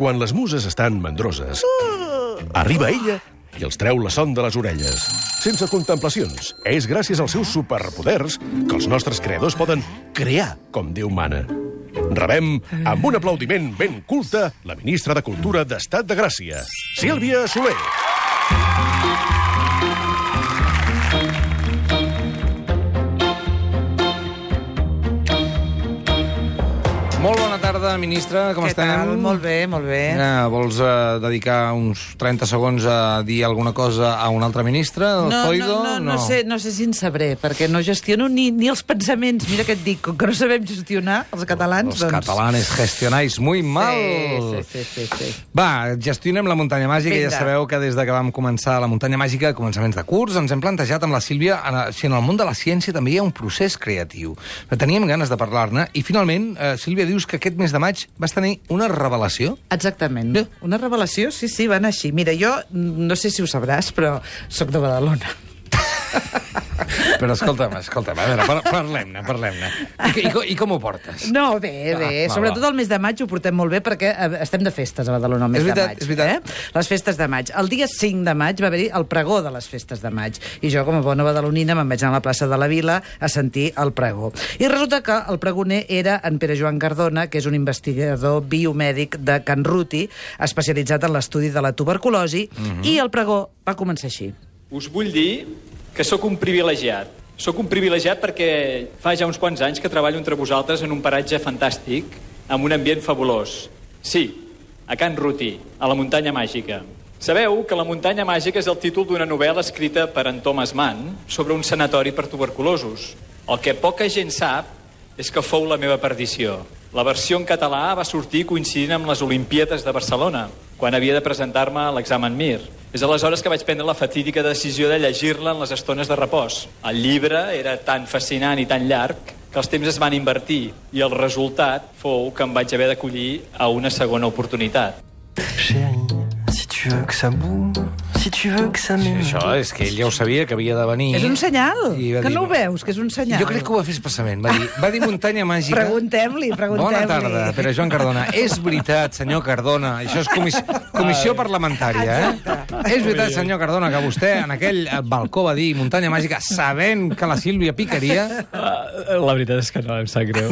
Quan les muses estan mandroses, arriba ella i els treu la son de les orelles. Sense contemplacions. És gràcies als seus superpoders que els nostres creadors poden crear com Déu mana. Rebem, amb un aplaudiment ben culte, la ministra de Cultura d'Estat de Gràcia, Sílvia Soler. Molt bona tarda, ministra, com estem? Què tal? Molt bé, molt bé. Vols dedicar uns 30 segons a dir alguna cosa a un altre ministre? No sé si en sabré, perquè no gestiono ni els pensaments. Mira què et dic, com que no sabem gestionar, els catalans, Los catalanes gestionáis muy mal. Sí. Va, gestionem la muntanya màgica. Vinga. Ja sabeu que des de que vam començar la muntanya màgica, a començaments de curs, ens hem plantejat amb la Sílvia si en el món de la ciència també hi ha un procés creatiu. Teníem ganes de parlar-ne i finalment, Sílvia, dius que aquest mes de maig vas tenir una revelació? Exactament. Bé. Una revelació, sí, va anar així. Mira, jo no sé si ho sabràs, però sóc de Badalona. Però escolta'm, a veure, parlem-ne. I com ho portes? No, bé. Sobretot el mes de maig ho portem molt bé perquè estem de festes a Badalona el mes de maig. És veritat. Les festes de maig. El dia 5 de maig va haver-hi el pregó de les festes de maig. I jo, com a bona badalonina, me'n vaig anar a la plaça de la Vila a sentir el pregó. I resulta que el pregoner era en Pere Joan Cardona, que és un investigador biomèdic de Can Ruti, especialitzat en l'estudi de la tuberculosi, i el pregó va començar així. Us vull dir que sóc un privilegiat. Sóc un privilegiat perquè fa ja uns quants anys que treballo entre vosaltres en un paratge fantàstic, amb un ambient fabulós. Sí, a Can Ruti, a la muntanya màgica. Sabeu que la muntanya màgica és el títol d'una novel·la escrita per en Thomas Mann sobre un sanatori per tuberculosos. El que poca gent sap és que fou la meva perdició. La versió en català va sortir coincidint amb les Olimpíades de Barcelona, quan havia de presentar-me a l'examen MIR. És aleshores que vaig prendre la fatídica decisió de llegir-la en les estones de repòs. El llibre era tan fascinant i tan llarg que els temps es van invertir i el resultat fou que em vaig haver d'acollir a una segona oportunitat. Chérie, si tu veux que ça bouge, si tu veux que ça m'aime. Això és que ell ja ho sabia, que havia de venir. És un senyal, I va que dir- no ho veus, que és un senyal. Jo crec que ho va fer expressament. Va dir muntanya màgica. Preguntem-li. Bona tarda, Pere Joan Cardona. És veritat, senyor Cardona, això és comissió parlamentària, És veritat, senyor Cardona, que vostè en aquell balcó va dir muntanya màgica sabent que la Sílvia picaria? La veritat és que no, em sap greu.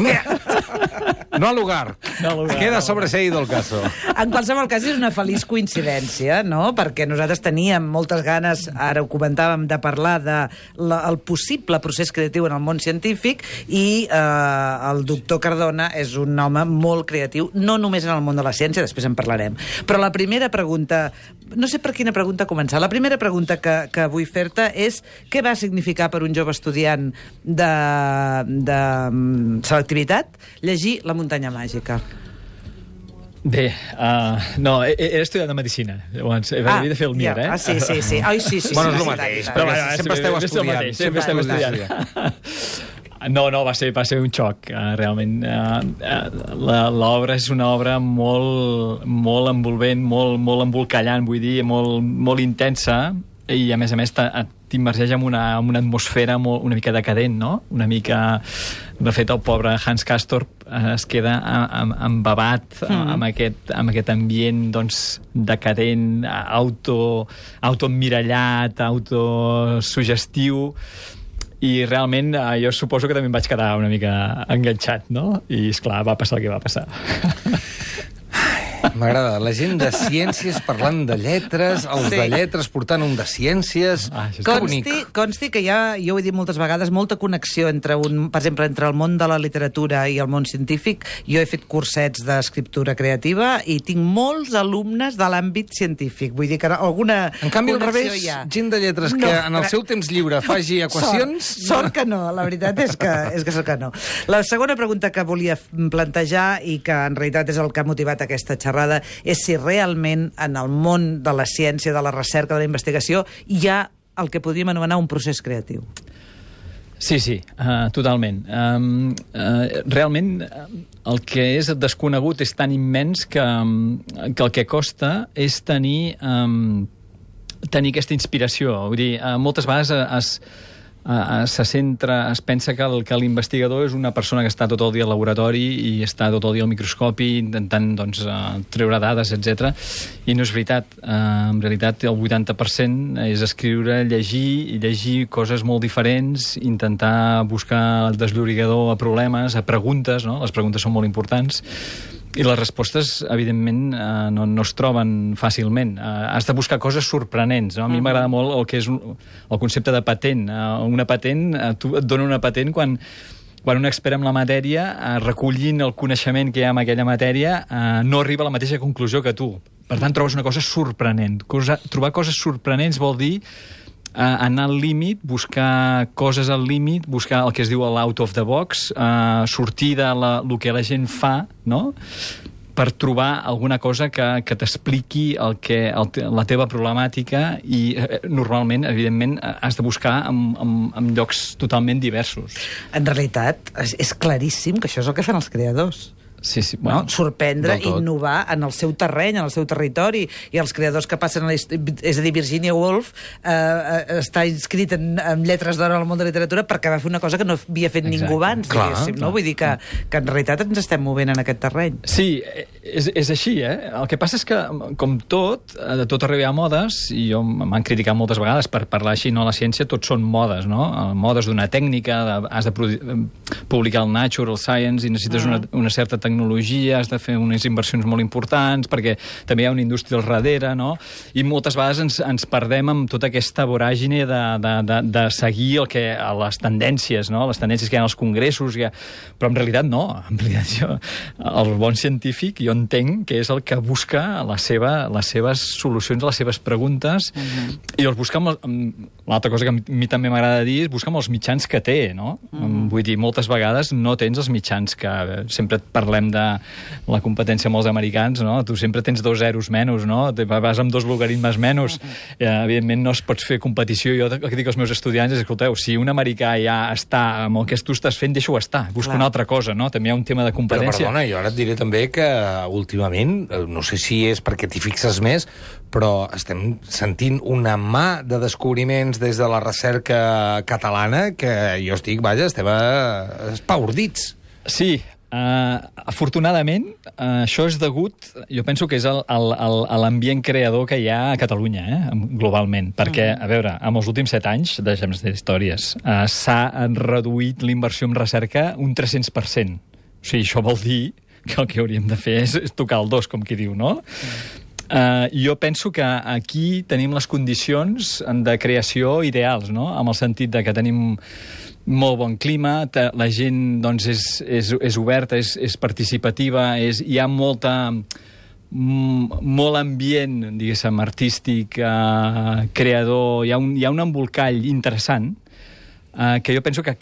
No al lugar. No al lugar. Queda sobreseído el caso. En qualsevol cas, és una feliç coincidència, no? Perquè nosaltres teníem moltes ganes, ara ho comentàvem, de parlar del possible procés creatiu en el món científic i el doctor Cardona és un home molt creatiu, no només en el món de la ciència, després en parlarem. Però la primera pregunta, no sé per quina pregunta començar, la primera pregunta que vull fer-te és què va significar per un jove estudiant de selectivitat llegir La muntanya màgica? Bé, no, era estudiant de medicina. Llavors, havia de fer el MIR, Sí. Ai, sí. Bueno, és el sí, mateix, sí, però sí. sempre esteu estudiant. Sempre esteu estudiant. No, va ser un xoc, realment. L'obra és una obra molt envolvent, molt embolcallant, vull dir, molt intensa, i a més t'immergeix en una atmosfera una mica decadent, no? Una mica... De fet, el pobre Hans Castorp es queda embabat amb aquest ambient, doncs, decadent, autoemmirallat, autosugestiu, i realment jo suposo que també em vaig quedar una mica enganxat, no? I, esclar, va passar el que va passar. M'agrada, la gent de ciències parlant de lletres, els de lletres portant un de ciències... Que bonic. Consti que jo ho he dit moltes vegades, molta connexió per exemple, entre el món de la literatura i el món científic. Jo he fet cursets d'escriptura creativa i tinc molts alumnes de l'àmbit científic. Vull dir que alguna En canvi, al connexió revés, hi ha. gent de lletres que en el seu temps lliure faci equacions... Sort que no, la veritat és que sort que no. La segona pregunta que volia plantejar i que en realitat és el que ha motivat aquesta xerrada és si realment en el món de la ciència, de la recerca, de la investigació hi ha el que podríem anomenar un procés creatiu. Sí, totalment. Realment, el que és desconegut és tan immens que el que costa és tenir aquesta inspiració. Vull dir, moltes vegades es pensa que l'investigador és una persona que està tot el dia al laboratori i està tot el dia al microscopi intentant doncs, treure dades, etc. I no és veritat. En realitat, el 80% és escriure, llegir coses molt diferents, intentar buscar el desllorigador a problemes, a preguntes, no? Les preguntes són molt importants. I les respostes, evidentment, no es troben fàcilment. Has de buscar coses sorprenents. No? A mi m'agrada molt el que és el concepte de patent. Una patent, tu et dona una patent quan un expert en la matèria, recollint el coneixement que hi ha en aquella matèria, no arriba a la mateixa conclusió que tu. Per tant, trobes una cosa sorprenent. Trobar coses sorprenents vol dir anar al límit, buscar coses al límit, buscar el que es diu l'out of the box, sortir de el que la gent fa, no?, per trobar alguna cosa que t'expliqui la teva problemàtica i normalment, evidentment, has de buscar en llocs totalment diversos. En realitat, és claríssim que això és el que fan els creadors. Sí, bueno, no? Sorprendre, innovar en el seu terreny, en el seu territori, i els creadors que passen és a dir, Virginia Woolf està inscrit en lletres d'or al món de la literatura perquè va fer una cosa que no havia fet ningú abans, diguéssim, no? Vull dir que en realitat ens estem movent en aquest terreny. Sí, és així, El que passa és que, com de tot arreu hi ha modes, i m'han criticat moltes vegades per parlar així, no? La ciència tot són modes, no? Modes d'una tècnica, has de publicar el Nature, el Science, i necessites una certa tecnologia, has de fer unes inversions molt importants, perquè també hi ha una indústria al darrere, no? I moltes vegades ens perdem amb tota aquesta voràgine de seguir les tendències, no? Les tendències que hi ha als congressos, però en realitat no. En realitat el bon científic jo entenc que és el que busca les seves solucions a les seves preguntes, i els busca l'altra cosa que a mi també m'agrada dir és buscar amb els mitjans que té, no? Vull dir, moltes vegades no tens els mitjans que sempre et parlem de la competència amb els americans, no? Tu sempre tens 2 zeros menys, no? Vas amb 2 logaritmes menys. Evidentment no es pots fer competició. Jo el que dic als meus estudiants és, escolteu, si un americà ja està amb el que tu estàs fent, deixa-ho estar. Busca una altra cosa, no? També hi ha un tema de competència. Però perdona, jo ara et diré també que últimament, no sé si és perquè t'hi fixes més, però estem sentint una mà de descobriments des de la recerca catalana que jo estic, estem espaordits. Sí, afortunadament, això és degut, jo penso que és a l'ambient creador que hi ha a Catalunya, globalment, perquè, a veure, en els últims 7 anys, deixem de històries, s'ha reduït l'inversió en recerca un 300%. O sigui, això vol dir que el que hauríem de fer és tocar el 2, com qui diu, no? Jo penso que aquí tenim les condicions de creació ideals, no? En el sentit de que tenim molt bon clima, la gent doncs, és oberta, és participativa, hi ha molt ambient, diguéssim, artístic, creador, hi ha un embolcall interessant que jo penso que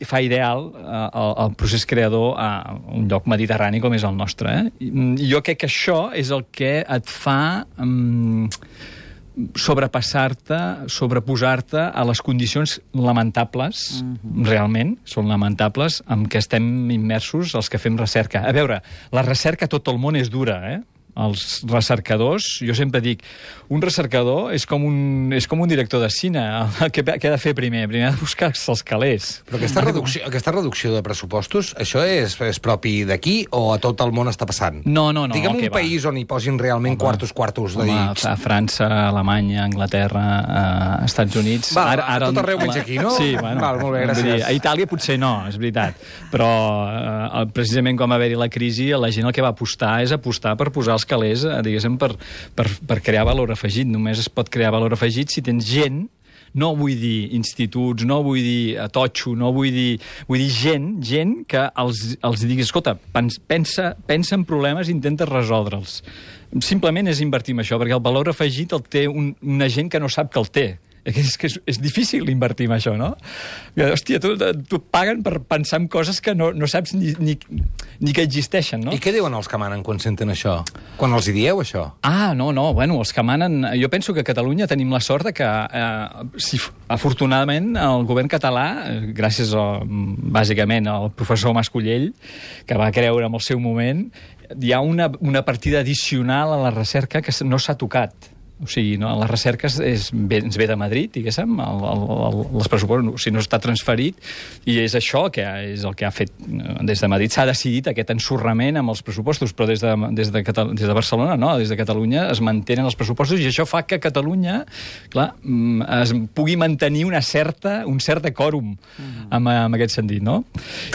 fa ideal el procés creador a un lloc mediterrani com és el nostre. I jo crec que això és el que et fa sobreposar-te a les condicions lamentables, realment, són lamentables, amb què estem immersos els que fem recerca. A veure, la recerca a tot el món és dura, Els recercadors, jo sempre dic, un recercador és com un director de cine. Què ha de fer primer? Primer ha de buscar-se els calés. Però aquesta reducció de pressupostos, això és propi d'aquí o a tot el món està passant? No. Digue'm un país on hi posin realment quartos dedits. A França, Alemanya, Anglaterra, Estats Units... A tot arreu menys aquí, no? Sí, bueno. Molt bé, gràcies. A Itàlia potser no, és veritat. Però precisament quan va haver-hi la crisi, la gent el que va apostar és apostar per posar els calés, diguéssim, per crear valor afegit. Només es pot crear valor afegit si tens gent, no vull dir instituts, no vull dir totxo, no vull dir gent que els diguis, escolta, pensa en problemes i intenta resoldre'ls. Simplement és invertir en això, perquè el valor afegit el té una gent que no sap que el té. És que és difícil invertir en això, no? Hòstia, tu et paguen per pensar en coses que no saps ni que existeixen, no? I què diuen els que manen quan senten això? Quan els hi dieu, això? No, bueno, els que manen... Jo penso que a Catalunya tenim la sort que, afortunadament, el govern català, gràcies, bàsicament, al professor Mascollell, que va creure en el seu moment, hi ha una partida addicional a la recerca que no s'ha tocat. O sigui, no, la recerca ens ve de Madrid, diguéssim, els pressupostos, o sigui, no està transferit, i és això que és el que ha fet des de Madrid. S'ha decidit aquest ensorrament amb els pressupostos, però des de Barcelona, no, des de Catalunya es mantenen els pressupostos, i això fa que Catalunya, clar, es pugui mantenir un cert quòrum en aquest sentit, no?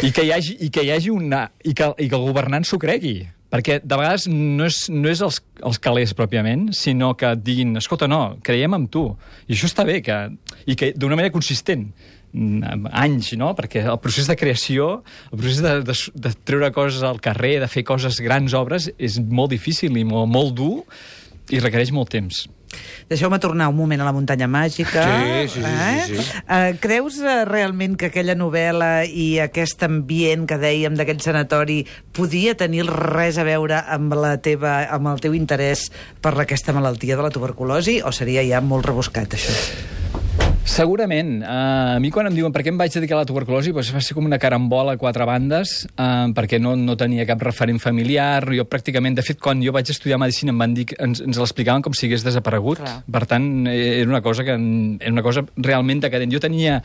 I que hi hagi i que el governant s'ho cregui. Perquè de vegades no és els calés pròpiament, sinó que et diguin, escolta, no, creiem en tu. I això està bé, i que d'una manera consistent, anys, no? Perquè el procés de creació, el procés de treure coses al carrer, de fer coses, grans obres, és molt difícil i molt dur i requereix molt temps. Deixeu-me tornar un moment a la muntanya màgica. Sí. Creus realment que aquella novel·la i aquest ambient que dèiem d'aquell sanatori podia tenir res a veure amb el teu interès per aquesta malaltia de la tuberculosi, o seria ja molt rebuscat, això? Segurament. A mi quan em diuen per què em vaig dedicar a la tuberculosi, doncs va ser com una carambola a quatre bandes, perquè no tenia cap referent familiar. Jo pràcticament, de fet, quan jo vaig estudiar medicina em van dir, ens l'explicaven com si hagués desaparegut. Clar. Per tant, era una cosa realment decadent. Jo tenia...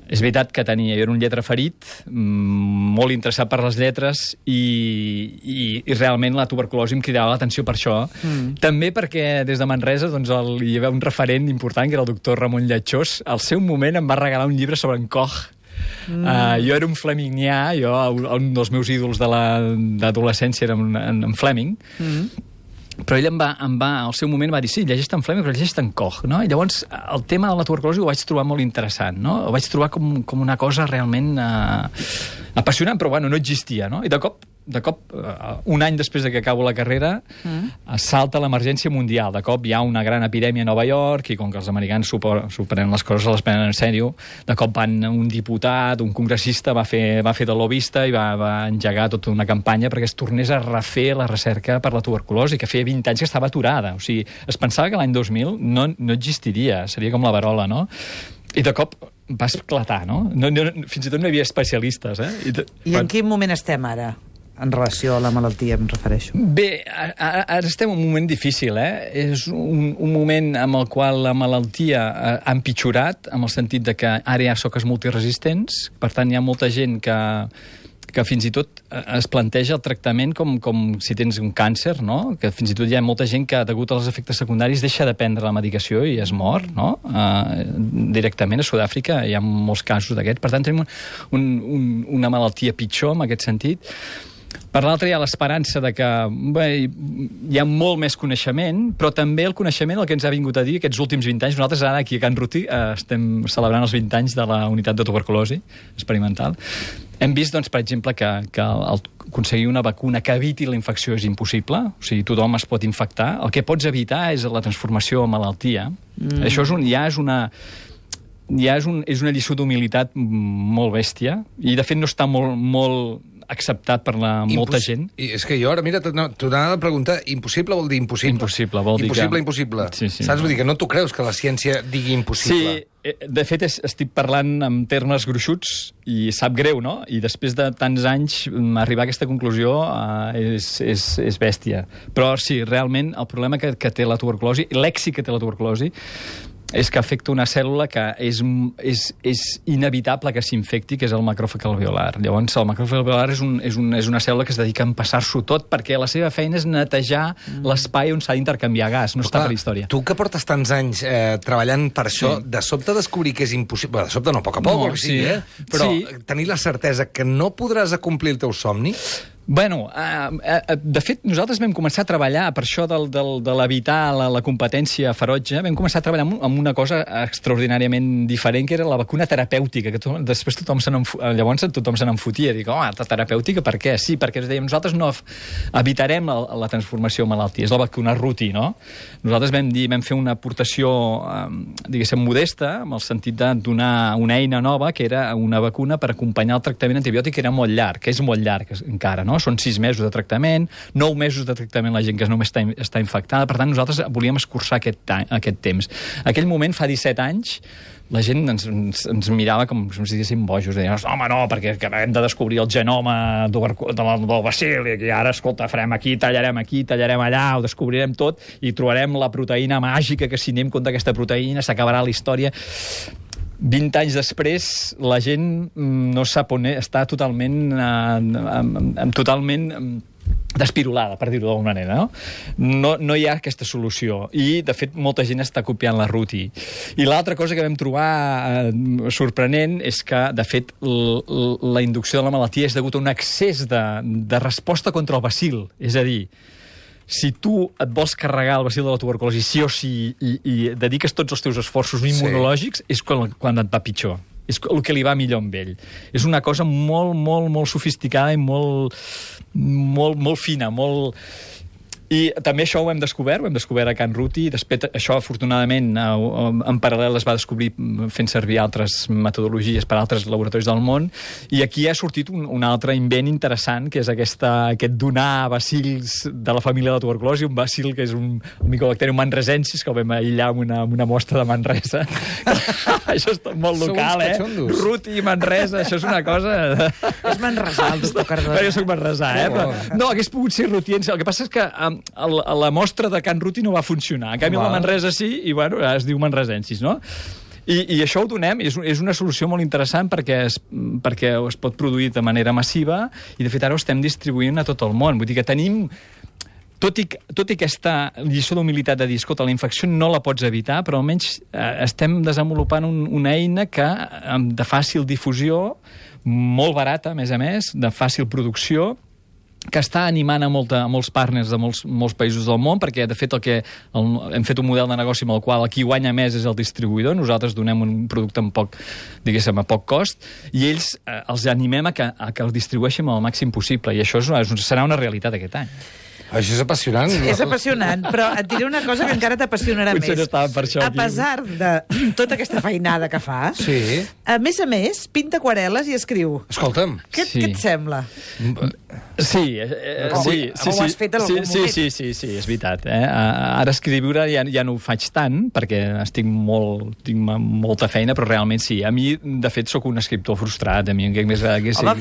És veritat que jo era un lletraferit, molt interessat per les lletres, i realment la tuberculosi em cridava l'atenció per això. També perquè des de Manresa doncs, hi havia un referent important, que era el doctor Ramon Llatxós. Al seu moment em va regalar un llibre sobre en Koch. Jo era un flemingnià, un dels meus ídols de l'adolescència era en Fleming, però ell al seu moment va dir, sí, llegeix en Fleming, però llegeix en Koch, no? I llavors el tema de la tuberculosi ho vaig trobar molt interessant, no? Ho vaig trobar com una cosa realment apassionant, però bueno, no existia, no? I de cop, un any després de que acabo la carrera, salta l'emergència mundial. De cop hi ha una gran epidèmia a Nova York, i com que els americans s'ho prenen les coses, les prenen en sèrio, de cop un diputat, un congressista, va fer de lobista i va engegar tota una campanya perquè es tornés a refer la recerca per la tuberculosi, que feia 20 anys que estava aturada. O sigui, es pensava que l'any 2000 no existiria, seria com la verola, no? I de cop va esclatar, no? Fins i tot no hi havia especialistes, I en quin moment estem ara? En relació a la malaltia, em refereixo. Bé, ara estem en un moment difícil, És un moment amb el qual la malaltia ha empitjorat, amb el sentit de que ara hi ha soques multiresistents, per tant hi ha molta gent que fins i tot es planteja el tractament com si tens un càncer, no? Que fins i tot hi ha molta gent que, degut als efectes secundaris, deixa de prendre la medicació i es mor, no? Directament a Sud-àfrica hi ha molts casos d'aquests. Per tant, tenim una malaltia pitjor en aquest sentit. Per l'altre, hi ha l'esperança de que hi ha molt més coneixement, però també el coneixement, el que ens ha vingut a dir aquests últims 20 anys. Nosaltres ara, aquí a Can Ruti, estem celebrant els 20 anys de la unitat de tuberculosi experimental. Hem vist, doncs, per exemple, que aconseguir una vacuna que eviti la infecció és impossible, o sigui, tothom es pot infectar. El que pots evitar és la transformació en malaltia. Això és una lliçó d'humilitat molt bèstia, i de fet no està molt acceptat per molta gent. I és que jo ara, mira, t'anava a preguntar, impossible vol dir impossible. Impossible, vol dir impossible. Sí. Saps? Vull dir que no t'ho creus, que la ciència digui impossible. Sí, de fet estic parlant en termes gruixuts i sap greu, no? I després de tants anys arribar a aquesta conclusió és bèstia. Però sí, realment el problema que té la tuberculosi, l'èxit que té la tuberculosi, és que afecta una cèl·lula que és inevitable que s'infecti, que és el macròfag alveolar. Llavors, el macròfag alveolar és una cèl·lula que es dedica a empassar-s'ho tot, perquè la seva feina és netejar l'espai on s'ha d'intercanviar gas, no està per la història. Tu que portes tants anys treballant per això, de sobte descobrir que és impossible... De sobte no, a poc a poc, però tenir la certesa que no podràs acomplir el teu somni... Bueno, de fet, nosaltres vam començar a treballar per això de l'evitar la competència ferotge, vam començar a treballar amb una cosa extraordinàriament diferent, que era la vacuna terapèutica, que després tothom se n'enfotia. Dic, terapèutica per què? Sí, perquè ens deien, nosaltres no evitarem la transformació en malaltia, és la vacuna Ruti, no? Nosaltres vam fer una aportació, diguéssim, modesta, en el sentit de donar una eina nova, que era una vacuna per acompanyar el tractament antibiòtic, que era molt llarg, que és molt llarg encara, no? no? Són 6 mesos de tractament, 9 mesos de tractament la gent que només està infectada. Per tant, nosaltres volíem escurçar aquest temps. En aquell moment, fa 17 anys, la gent ens mirava com si ens diguéssim bojos. Deien, home, no, perquè acabem de descobrir el genoma del bacil i ara, escolta, farem aquí, tallarem allà, ho descobrirem tot i trobarem la proteïna màgica que si anem contra aquesta proteïna s'acabarà la història. 20 anys després, la gent no sap on està totalment despirolada, per dir-ho d'alguna manera, no? No hi ha aquesta solució. I, de fet, molta gent està copiant la Ruti. I l'altra cosa que vam trobar sorprenent és que, de fet, la inducció de la malaltia és degut a un excés de resposta contra el bacil. És a dir, si tu et vols carregar el bacil de la tuberculosi sí o sí i dediques tots els teus esforços immunològics, és quan et va pitjor. És el que li va millor amb ell. És una cosa molt, molt, molt sofisticada i molt fina, molt... I també això ho hem descobert a Can Ruti, i després això, afortunadament, en paral·lel es va descobrir fent servir altres metodologies per altres laboratoris del món, i aquí ha sortit un altre invent interessant, que és aquest donar bacils de la família de la tuberculosi, un bacil que és un Mycobacterium manresensis, que el vam aïllar amb una mostra de Manresa. Això és molt local, Ruti i Manresa, això és una cosa... És manresà, el doctor Cardona. Jo soc manresà, No, hagués pogut ser rutiense. El que passa és que la mostra de Can Ruti no va funcionar. En canvi, la Manresa sí, i bueno, es diu manresensis, no? I això ho donem, és una solució molt interessant perquè es pot produir de manera massiva i, de fet, ara ho estem distribuint a tot el món. Vull dir que tenim... Tot i aquesta lliçó d'humilitat de dir, escolta, la infecció no la pots evitar, però almenys estem desenvolupant una eina de fàcil difusió, molt barata, a més, de fàcil producció, que està animant a molts partners de molts països del món, perquè, de fet, hem fet un model de negoci amb el qual qui guanya més és el distribuïdor, nosaltres donem un producte a poc cost, i ells els animem a que el distribueixin el màxim possible, i això serà una realitat aquest any. Això és apassionant. És apassionant, però et diré una cosa que encara t'apassionarà més. A pesar de tota aquesta feinada que fa, a més, pinta aquarel·les i escriu. Escolta'm. Què et sembla? Sí, ho has fet en algun moment. Sí, és veritat. Ara escriure ja no ho faig tant, perquè tinc molta feina, però realment sí. A mi, de fet, sóc un escriptor frustrat. Home,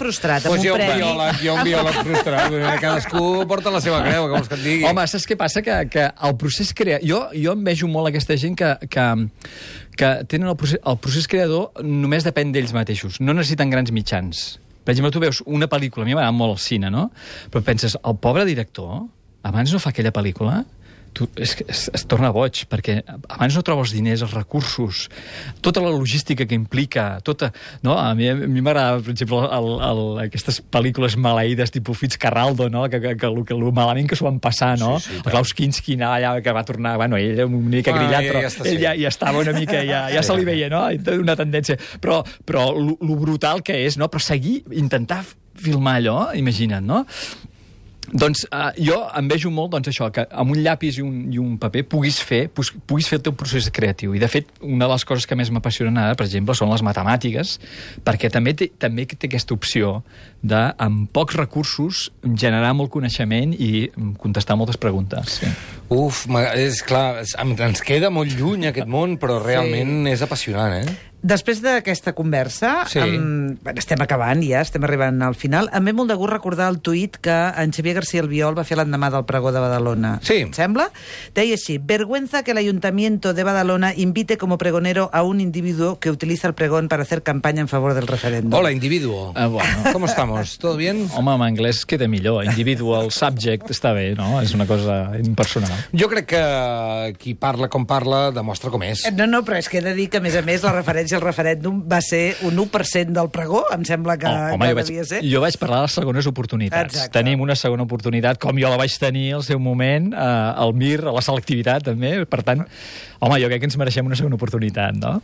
frustrat, amb un premi. Jo un biòleg frustrat. Cadascú porta la seva creu. Home, saps què passa? Que el procés jo envejo molt aquesta gent que tenen el procés creador només depèn d'ells mateixos. No necessiten grans mitjans. Per exemple, tu veus una pel·lícula, a mi m'agrada molt el cine, no? Però penses, el pobre director, abans no fa aquella pel·lícula, es torna boig, perquè abans no troba els diners, els recursos, tota la logística que implica, no? A mi m'agrada, per exemple, aquestes pel·lícules maleïdes tipus Fitzcarraldo, no? Que lo malament que s'ho van passar, no? El Klaus Kinski, allà, que va tornar, bueno, ell era una mica grillat, però ell ja estava una mica, ja se li veia, no? Una tendència. Però lo brutal que és, no? Però intentar filmar allò, imagina't, no? Doncs jo envejo molt això, que amb un llapis i un paper puguis fer el teu procés creatiu. I, de fet, una de les coses que més m'apassionen ara, per exemple, són les matemàtiques, perquè també té aquesta opció de, amb pocs recursos, generar molt coneixement i contestar moltes preguntes. Sí. És clar, ens queda molt lluny aquest món, però realment és apassionant, Després d'aquesta conversa, estem acabant ja, estem arribant al final, em ve molt de gust recordar el tuit que en Xavier García Albiol va fer l'endemà del pregó de Badalona. Sí. Et sembla? Deia així: vergüenza que el Ayuntamiento de Badalona invite como pregonero a un individuo que utiliza el pregón para hacer campaña en favor del referéndum. Hola, individuo. Bueno. ¿Cómo estamos? ¿Todo bien? Home, en anglès queda millor. Individual, subject, està bé, no? És una cosa impersonal. Jo crec que qui parla com parla demostra com és. No, però és que he de dir que, a més, la referència al referèndum va ser un 1% del pregó, em sembla que devia ser. Jo vaig parlar de les segones oportunitats. Exacte. Tenim una segona oportunitat, com jo la vaig tenir al seu moment, al MIR, a la selectivitat, també. Per tant, home, jo crec que ens mereixem una segona oportunitat, no?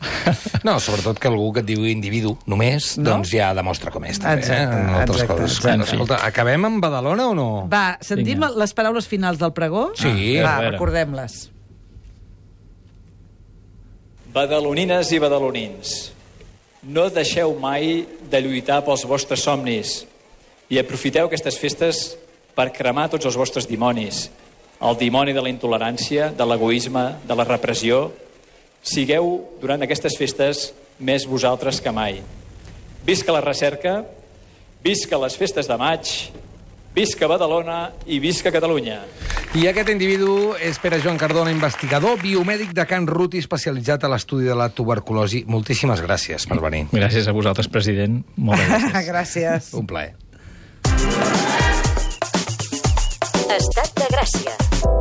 No, sobretot que algú que et diu individu només, doncs ja demostra com és, també. Exacte. Escolta, acabem amb Badalona o no? Va, sentim les paraules finals del pregó? Sí. Va, recordem-les. Badalonines i badalonins, no deixeu mai de lluitar pels vostres somnis I aprofiteu aquestes festes per cremar tots els vostres dimonis. El dimoni de la intolerància, de l'egoisme, de la repressió. Sigueu, durant aquestes festes, més vosaltres que mai. Visca la recerca, visca les festes de maig, visca Badalona i visca Catalunya. I aquest individu és Pere Joan Cardona, investigador biomèdic de Can Ruti, especialitzat a l'estudi de la tuberculosi. Moltíssimes gràcies per venir. Gràcies a vosaltres, president. Moltes gràcies. Gràcies. Un plaer. Estat de Gràcia.